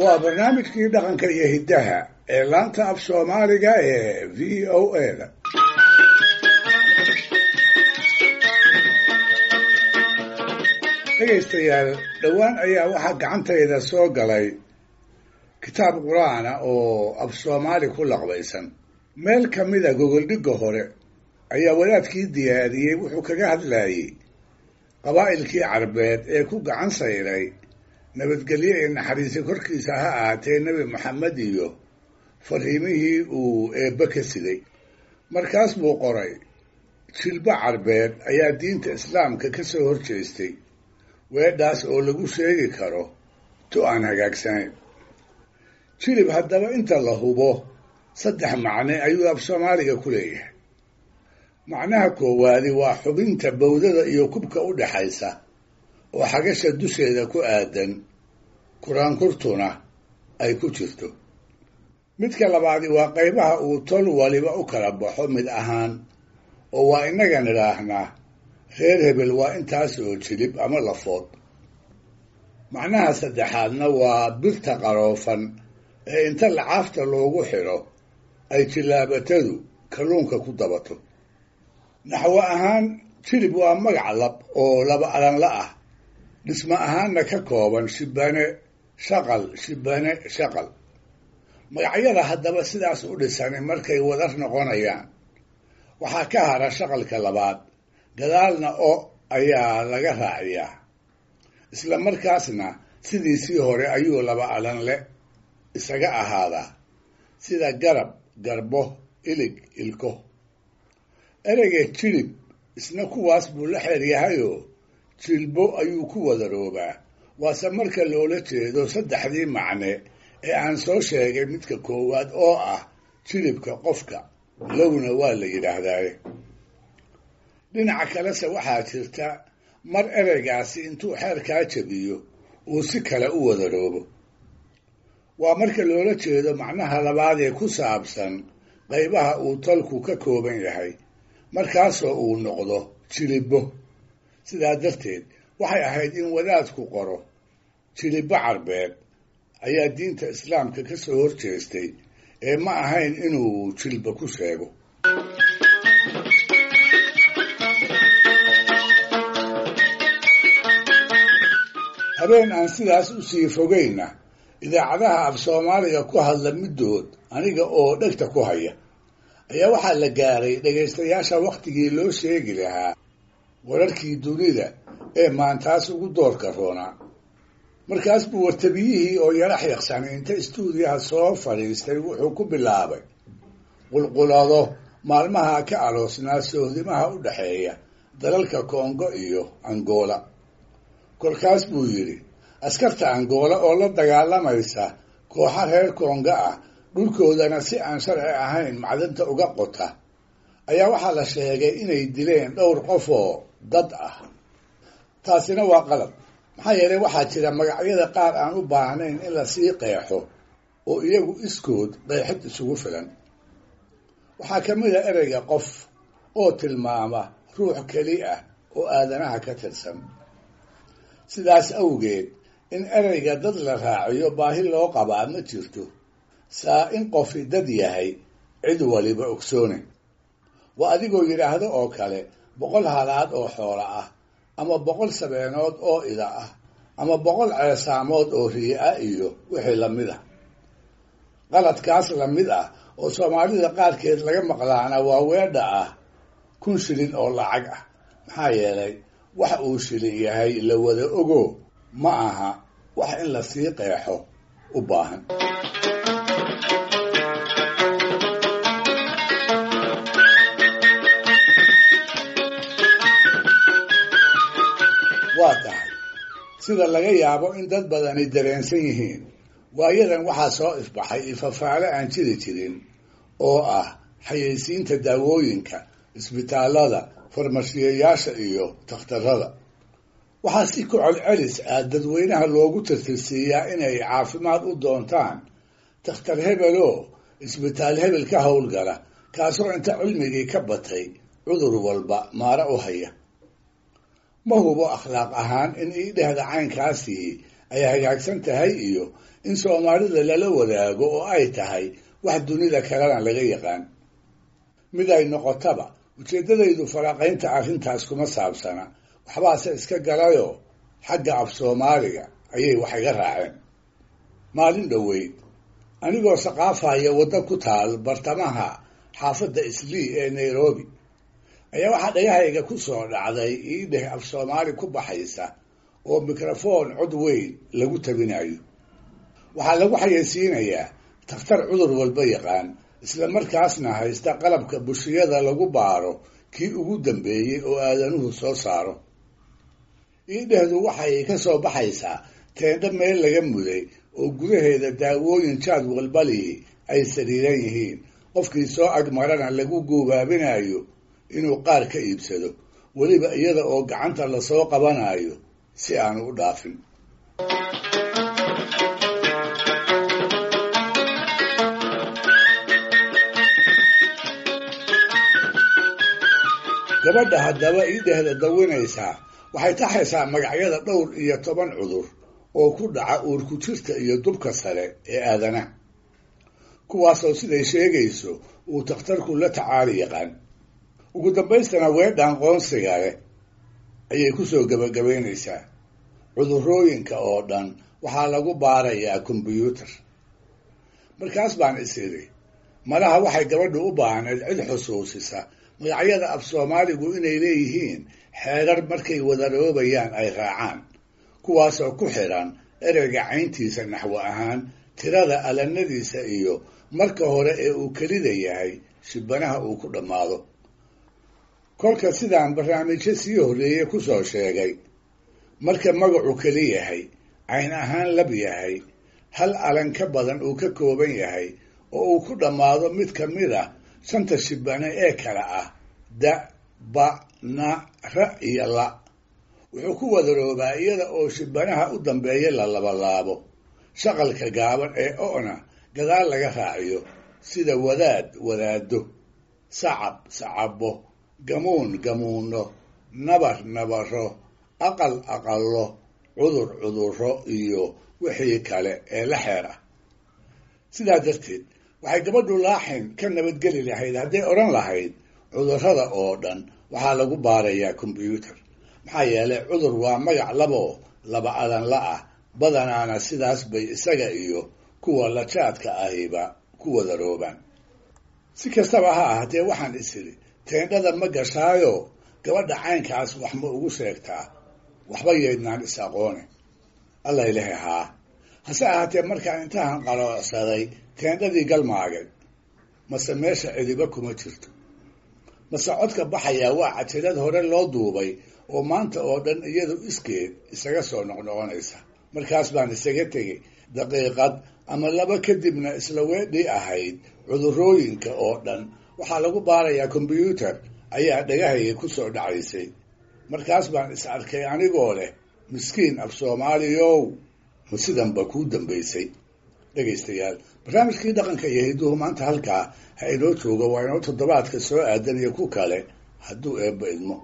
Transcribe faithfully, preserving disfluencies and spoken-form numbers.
Waa barnaamijkii dhaqanka iyo hiddaha ee laanta af Soomaaliga ee V O A da. Dhegaystayaal, dhowaan ayaa waxaa gacantayda soo galay kitaab qur-aana oo af Soomaali ku laqbaysan. Meel ka mida gogoldhigga hore ayaa wadaadkii diyaariyey wuxuu kaga hadlayey qabaa'ilkii Carbeed ee ku gacan sayray nabadgelyo ee naxariisi korkiisa ha ahaatee Nebi Maxamed iyo fariimihii uu eebbe ka siday. Markaas buu qoray, jilbo Carbeed ayaa diinta Islaamka ka soo horjeestay, weedhaas oo lagu sheegi karo tu aan hagaagsanayn. Jilib haddaba inta la hubo saddex macne ayuu af Soomaaliga ku leeyahay. Macnaha koowaadi waa xubinta bowdada iyo kubka u dhexaysa oo xagasha dusheeda ku aadan, kuraankurtuna ay ku jirto. Midka labaadi waa qaybaha uu tol waliba u kala baxo mid ahaan, oo waa innaga nidhaahnaa reer hebel waa intaas oo jilib ama lafood. Macnaha saddexaadna waa birta qaroofan ee inta lacaafta loogu xidho ay jilaabatadu kalluunka ku dabato. Naxwo ahaan jilib waa magac lab oo laba alanla ah, dhismo ahaanna ka kooban shibane shaqal shibane shaqal. Magacyada haddaba sidaas u dhisani markay wadar noqonayaan waxaa ka hara shaqalka labaad, gadaalna o ayaa laga raaciyaa, isla markaasna sidiisii hore ayuu laba alanle isaga ahaadaa, sida garab, garbo, ilig, ilko. Ereyga jilib isna kuwaas buu la xeer yahayoo jilbo ayuu ku wadaroobaa, waase marka loola jeedo saddexdii macne ee aan soo sheegay midka koowaad oo ah jilibka qofka, lowna waa la yidhaahdaaye. Dhinaca kalese waxaa jirta mar ereygaasi intuu xeerkaa jabiyo uu si kale u wadaroobo. Waa marka loola jeedo macnaha labaad ee ku saabsan qaybaha uu tolku ka kooban yahay, markaasoo uu noqdo jilibbo. Sidaa darteed waxay ahayd in wadaadku qoro jilibbo Carbeed ayaa diinta Islaamka ka soo horjeestay ee ma ahayn inuu jilba ku sheego. Habeen aan sidaas u sii fogayna idaacadaha af Soomaaliga ku hadla middood aniga oo dhegta ku haya ayaa waxaa la gaaray dhegaystayaasha wakhtigii loo sheegi lahaa wararkii dunida ee maantaas ugu doorka roonaa. Markaas buu wartabiyihii oo yara xiiqsanay inta istuudiyaha soo fadhiistay wuxuu ku bilaabay qulqulado maalmaha ka aloosnaa sohdimaha u dhexeeya dalalka Kongo iyo Angola. Kolkaas buu yidhi, askarta Angola oo la dagaalamaysa kooxa reer Kongo ah dhulkoodana si aan sharci ahayn macdanta uga qota ayaa waxaa la sheegay inay dileen dhowr qof oo dad ah. Taasina waa qalad, maxaa yeelay waxaa jira magacyada qaar aan u baahnayn in lasii qeexo oo iyagu iskood qeexid isugu filan. Waxaa ka mid a ereyga qof oo tilmaama ruux keli ah oo aadanaha ka tirsan. Sidaas awgeed in ereyga dad la raaciyo baahi loo qabaa ma jirto, saa in qofi dad yahay cid waliba ogsoone. Waa adigoo yidhaahdo oo kale boqol halaad oo xoola ah, ama boqol sabeenood oo ida ah, ama boqol ceesaamood oo rii'a iyo wixii lamid ah. Qaladkaas lamid ah oo Soomaalida qaarkeed laga maqlaana waa weedha ah kun shilin oo lacag ah, maxaa yeelay wax uu shilin yahay la wada ogo ma aha wax in lasii qeexo u baahan. Waa tahay sida laga yaabo in dad badani dareensan yihiin, waayadan waxaa soo ifbaxay ifafaale aan jiri jirin oo ah xayeysiinta daawooyinka, isbitaallada, farmashiyeyaasha iyo takhtarrada. Waxaa si ku celcelis ah dadweynaha loogu tirtirsiiyaa inay caafimaad u doontaan takhtar hebeloo isbitaal hebel ka howlgala, kaasoo inta cilmigii ka batay cudur walba maara u haya. Ma hubo akhlaaq ahaan in ii dhehda caynkaasii ay hagaagsan tahay iyo in Soomaalida lala wadaago oo ay tahay wax dunida kalena laga yaqaan. Mid ay noqotaba ujeeddadaydu faraaqaynta arrintaas kuma saabsana, waxbaase iska galayoo xagga af Soomaaliga ayay wax iga raaceen. Maalin dhoweyd anigoo saqaafaya waddo ku taal bartamaha xaafadda Islii ee Nairobi ayaa waxaa dhagahayga ku soo dhacday iidheh af Soomaali ku baxaysa oo mikrafoon cod weyn lagu tabinayo. Waxaa lagu xayeysiinayaa takhtar cudur walba yaqaan, isla markaasna haysta qalabka bushiyada lagu baaro kii ugu dambeeyey oo aadanuhu soo saaro. Iidhehdu waxay ka soo baxaysaa teendho meel laga muday oo gudaheeda daawooyin jaad walbalii ay sariiran yihiin, qofkii soo agmarana lagu guubaabinayo inuu qaar ka iibsado, weliba iyada oo gacanta lasoo qabanayo si aanu u dhaafin. Gabadha haddaba iidhehda dawinaysaa waxay taxaysaa magacyada dhowr iyo toban cudur oo ku dhaca uurku jirta iyo dubka sare ee aadanaha, kuwaasoo siday sheegayso uu takhtarku la tacaali yaqaan. Ugu dambaystana weedhaan qoonsiga leh ayay ku soo gebagabaynaysaa. Cudurrooyinka oo dhan waxaa lagu baarayaa kombyuutar. Markaas baan is idhi, malaha waxay gabadhu u baahnayd cid xusuusisa magacyada af Soomaaligu inay leeyihiin xeerar markay wadaroobayaan ay raacaan, kuwaasoo ku xidhan ereyga cayntiisa naxwo ahaan, tirada alanadiisa iyo marka hore ee uu kelida yahay shibanaha uu ku dhammaado. Kolka sidaan barnaamijyo sii horreeyey ku soo sheegay, marka magacu keli yahay, cayn ahaan lab yahay, hal alan ka badan uu ka kooban yahay oo uu ku dhammaado mid ka mid ah shanta shibane ee kala ah da, ba, na, ra iyo la, wuxuu ku wadaroobaa iyada oo shibanaha u dambeeya la labalaabo, shaqalka gaaban ee o'na gadaal laga raaciyo, sida wadaad wadaado, sacab sacabo, gamuun gamuuno, nabar nabaro, aqal aqallo, cudur cudurro iyo wixii kale ee la xeer ah. Sidaa darteed waxay gabadhu laaxin ka nabadgeli lahayd hadday odhan lahayd cudurrada oo dhan waxaa lagu baarayaa kombyuutar, maxaa yeelay cudur waa magac laboo laba adan la ah, badanaana sidaas bay isaga iyo kuwa lajaadka ahiba ku wadaroobaan. Si kastaba ha ahaatee waxaan is idhi, teendhada ma gashaayo gabadha caynkaas wax ma ugu sheegtaa, waxba yeednaan is aqoone. Alla ilahi haa. Hase ahaatee markaan intahan qaloocsaday teendhadii galmaagay, mase meesha cidiba kuma jirto, mase codka baxayaa waa cajalad hore loo duubay oo maanta oo dhan iyadu iskeed isaga soo noqnoqonaysa. Markaas baan isaga tegey daqiiqad ama laba kadibna isla weedhii ahayd cudurrooyinka oo dhan waxaa lagu baarayaa kombyuutar ayaa dhagahayga ku soo dhacaysay. Markaas baan is arkay anigoo leh miskiin af Soomaaliyow, ma sidanba kuu dambaysay. Dhegaystayaal, barnaamijkii dhaqanka iyo hidduhu maanta halkaa ha inoo joogo, waa inoo toddobaadka soo aadan iyo ku kale hadduu eebba idmo.